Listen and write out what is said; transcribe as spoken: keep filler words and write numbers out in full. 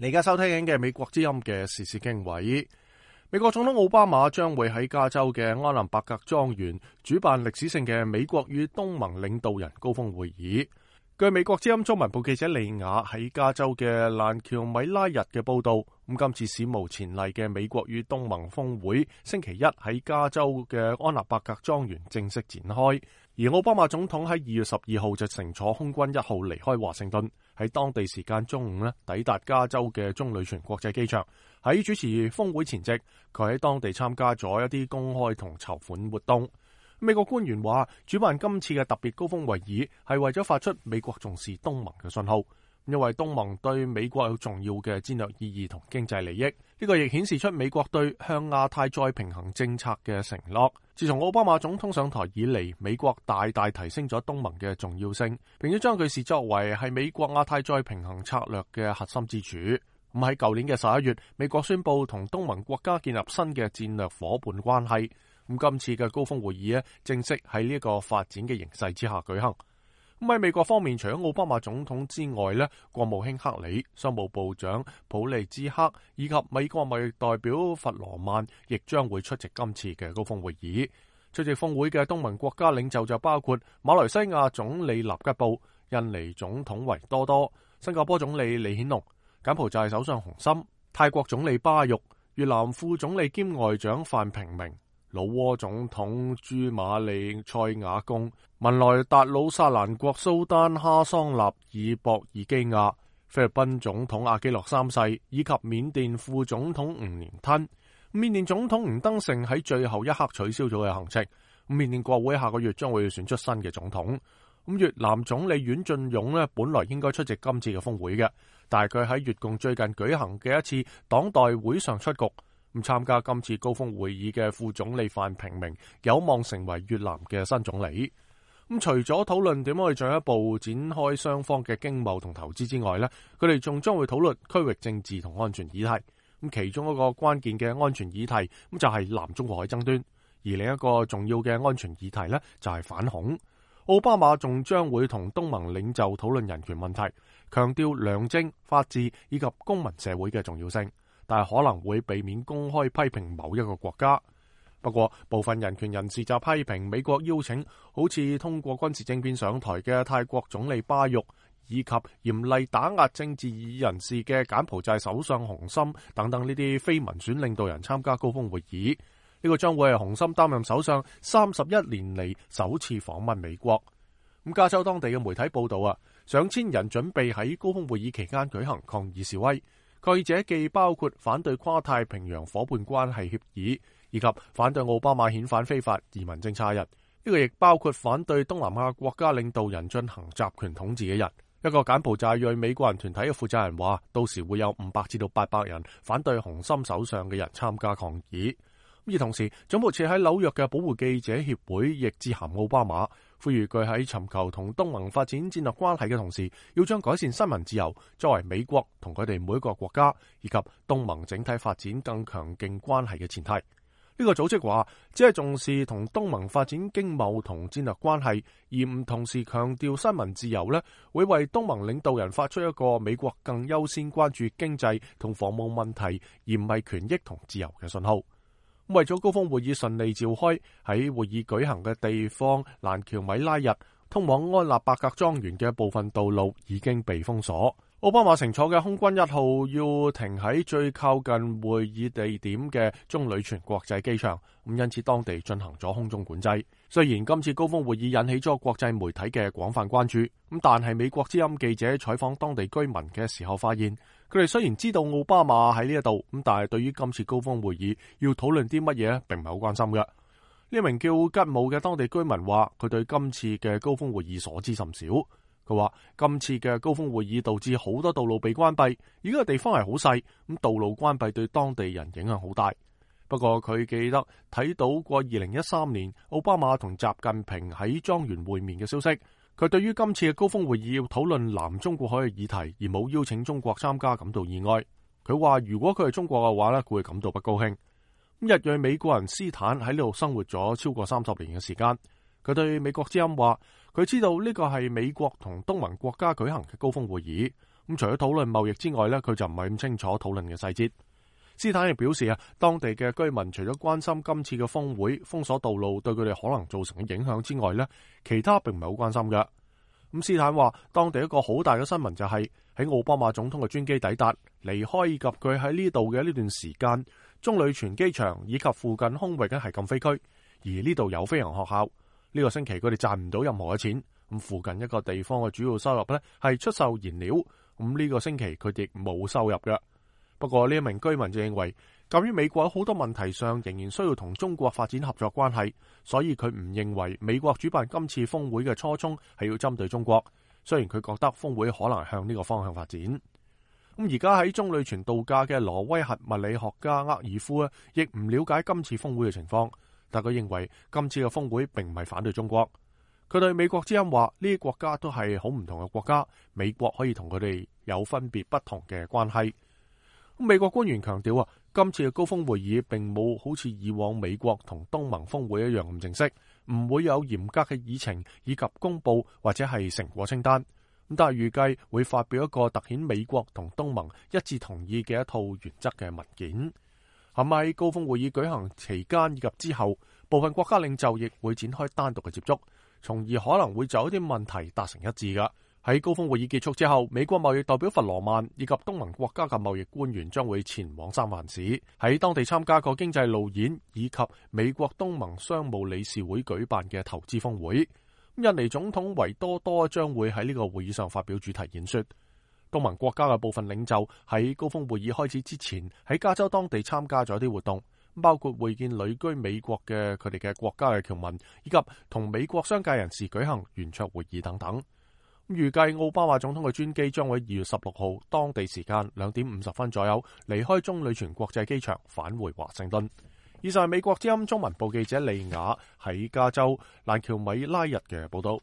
你而家收聽緊嘅美國之音嘅時事經緯，美國總統奧巴馬將會喺加州嘅安林伯格莊園主辦歷史性嘅美國與東盟領導人高峰會議。據美國之音中文部記者利亞喺加州嘅蘭喬米拉日嘅報道，咁今次史無前例嘅美國與東盟峰會星期一喺加州嘅安納伯格莊園正式展開，而奧巴馬總統喺二月十二號就乘坐空軍一號離開華盛頓，喺當地時間中午呢抵達加州嘅棕櫚泉國際機場。喺主持峰會前夕，佢喺當地參加咗一啲公開同籌款活動。美國官員話，主辦今次嘅特別高峰會議係為咗發出美國重視東盟嘅信號，因為東盟對美國有重要嘅戰略意義同經濟利益。呢個亦顯示出美國對向亞太再平衡政策嘅承諾。自從奧巴馬總統上台以嚟，美國大大提升咗東盟嘅重要性，並且將佢視作為係美國亞太再平衡策略嘅核心支柱。咁喺舊年嘅十一月，美國宣布同東盟國家建立新嘅戰略夥伴關係。咁今次嘅高峰會議咧，正式喺呢一個發展嘅形勢之下舉行。咁喺美國方面，除咗奧巴馬總統之外咧，國務卿克里、商務部長普利茲克以及美國貿易代表弗羅曼亦將會出席今次嘅高峰會議。出席峰會嘅東盟國家領袖就包括馬來西亞總理納吉布、印尼總統維多多、新加坡總理李顯龍、柬埔寨首相洪森、泰國總理巴育、越南副總理兼外長范平明、老撾總統朱馬利塞瓦貢、文萊達魯薩蘭國蘇丹哈桑納爾博爾基亞、菲律賓總統阿基諾三世以及緬甸副總統吳連吞。緬甸總統吳登盛喺最後一刻取消咗嘅行程。緬甸國會下個月將會選出新嘅總統。咁越南總理阮晉勇咧，本來應該出席今次嘅峰會嘅，但係佢喺越共最近舉行嘅一次黨代會上出局。咁參加今次高峰會議嘅副總理范平明有望成為越南嘅新總理。咁除咗討論點樣去進一步展開雙方嘅經貿同投資之外呢，佢哋仲將會討論區域政治同安全議題。咁其中一個關鍵嘅安全議題咁就係南中國海爭端，而另一個重要嘅安全議題呢就係反恐。奧巴馬仲將會同東盟領袖討論人權問題，強調良政、法治以及公民社會嘅重要性，但係可能會避免公開批評某一個國家。不過，部分人權人士就批評美國邀請好似通過軍事政變上台嘅泰國總理巴育，以及嚴厲打壓政治異議人士嘅柬埔寨首相洪森等等呢啲非民選領導人參加高峰會議。呢個將會係洪森擔任首相三十一年嚟首次訪問美國。咁加州當地嘅媒體報道啊，上千人準備喺高峰會議期間舉行抗議示威。抗議者既包括反對跨太平洋夥伴關係協議，以及反對奧巴馬遣返非法移民政策人。呢個亦包括反對東南亞國家領導人進行集權統治嘅人。一個柬埔寨裔美國人團體嘅負責人話，到時會有五百至到八百人反對洪森首相嘅人參加抗議。而同時，總部設喺紐約嘅保護記者協會亦致函奧巴馬，呼籲佢喺尋求同東盟發展戰略關係嘅同時，要將改善新聞自由作為美國同佢哋每一個國家以及東盟整體發展更強勁關係嘅前提。呢、這個組織話，只係重視同東盟發展經貿同戰略關係，而唔同時強調新聞自由呢，會為東盟領導人發出一個美國更優先關注經濟同防務問題，而唔係權益同自由嘅信號。為咗高峰會議順利召開，喺會議舉行嘅地方蘭喬米拉日通往安納伯格莊園嘅部分道路已經被封鎖。奧巴馬乘坐嘅空軍一號要停喺最靠近會議地點嘅棕櫚泉國際機場，咁因此當地進行咗空中管制。雖然今次高峰會議引起咗國際媒體嘅廣泛關注，咁但係美國之音記者採訪當地居民嘅時候發現，佢哋雖然知道奧巴馬喺呢一度，咁但係對於今次高峰會議要討論啲乜嘢，並唔係好關心嘅。呢名叫吉姆嘅當地居民話，佢對今次嘅高峰會議所知甚少。佢話今次嘅高峰會議導致好多道路被關閉，而呢個地方係好細，咁道路關閉對當地人影響好大。不過佢記得睇到過二零一三年奧巴馬同習近平喺莊園會面嘅消息。佢對於今次嘅高峰會議要討論南中國海嘅議題，而冇邀請中國參加感到意外。佢話如果佢係中國嘅話咧，佢會感到不高興。日裔美國人斯坦喺呢度生活咗超過三十年嘅時間。佢對美國之音話，佢知道呢個係美國同東盟國家舉行嘅高峰會議，咁除咗討論貿易之外呢，佢就唔係咁清楚討論嘅細節。斯坦亦表示啊，當地嘅居民除咗關心今次嘅峰會封鎖道路對佢哋可能造成嘅影響之外呢，其他並唔係好關心嘅。咁斯坦話，當地一個好大嘅新聞就係喺奧巴馬總統嘅專機抵達、離開以及佢喺呢度嘅呢段時間，棕櫚泉機場以及附近空域咧係禁飛區，而呢度有飛行學校。呢個星期佢哋賺唔到任何嘅錢。咁附近一個地方嘅主要收入呢係出售燃料。咁呢個星期佢哋冇收入嘅。不過呢一名居民就認為，鑒於美國喺好多問題上仍然需要同中國發展合作關係，所以佢唔認為美國主辦今次峰會嘅初衷係要針對中國。雖然佢覺得峰會可能向呢個方向發展。咁而家喺棕櫚泉度假嘅挪威核物理學家厄爾夫咧，亦唔了解今次峰會嘅情況，但佢認為今次嘅峰會並唔係反對中國。佢對美國之音話：呢啲國家都係好唔同嘅國家，美國可以同佢哋有分別不同嘅關係。美國官員強調啊，今次嘅高峰會議並冇好似以往美國同東盟峰會一樣咁正式，唔會有嚴格嘅議程以及公佈或者係成果清單。咁但係預計會發表一個凸顯美國同東盟一致同意嘅一套原則嘅文件。係咪喺高峰會議舉行期間以及之後，部分國家領袖亦會展開單獨嘅接觸，從而可能會就一啲問題達成一致㗎。喺高峰會議結束之後，美國貿易代表弗羅曼以及東盟國家嘅貿易官員將會前往三藩市，喺當地參加個經濟路演，以及美國東盟商務理事會舉辦嘅投資峰會。印尼總統維多多將會喺呢個會議上發表主題演說。東盟國家嘅部分領袖喺高峰會議開始之前，喺加州當地參加咗啲活動，包括會見旅居美國嘅佢哋嘅國家嘅僑民，以及同美國商界人士舉行圓桌會議等等。預計奧巴馬總統嘅專機將會二月十六號當地時間兩點五十分左右離開棕櫚泉國際機場返回華盛頓。以上係美國之音中文部記者利雅喺加州蘭喬米拉日嘅報道。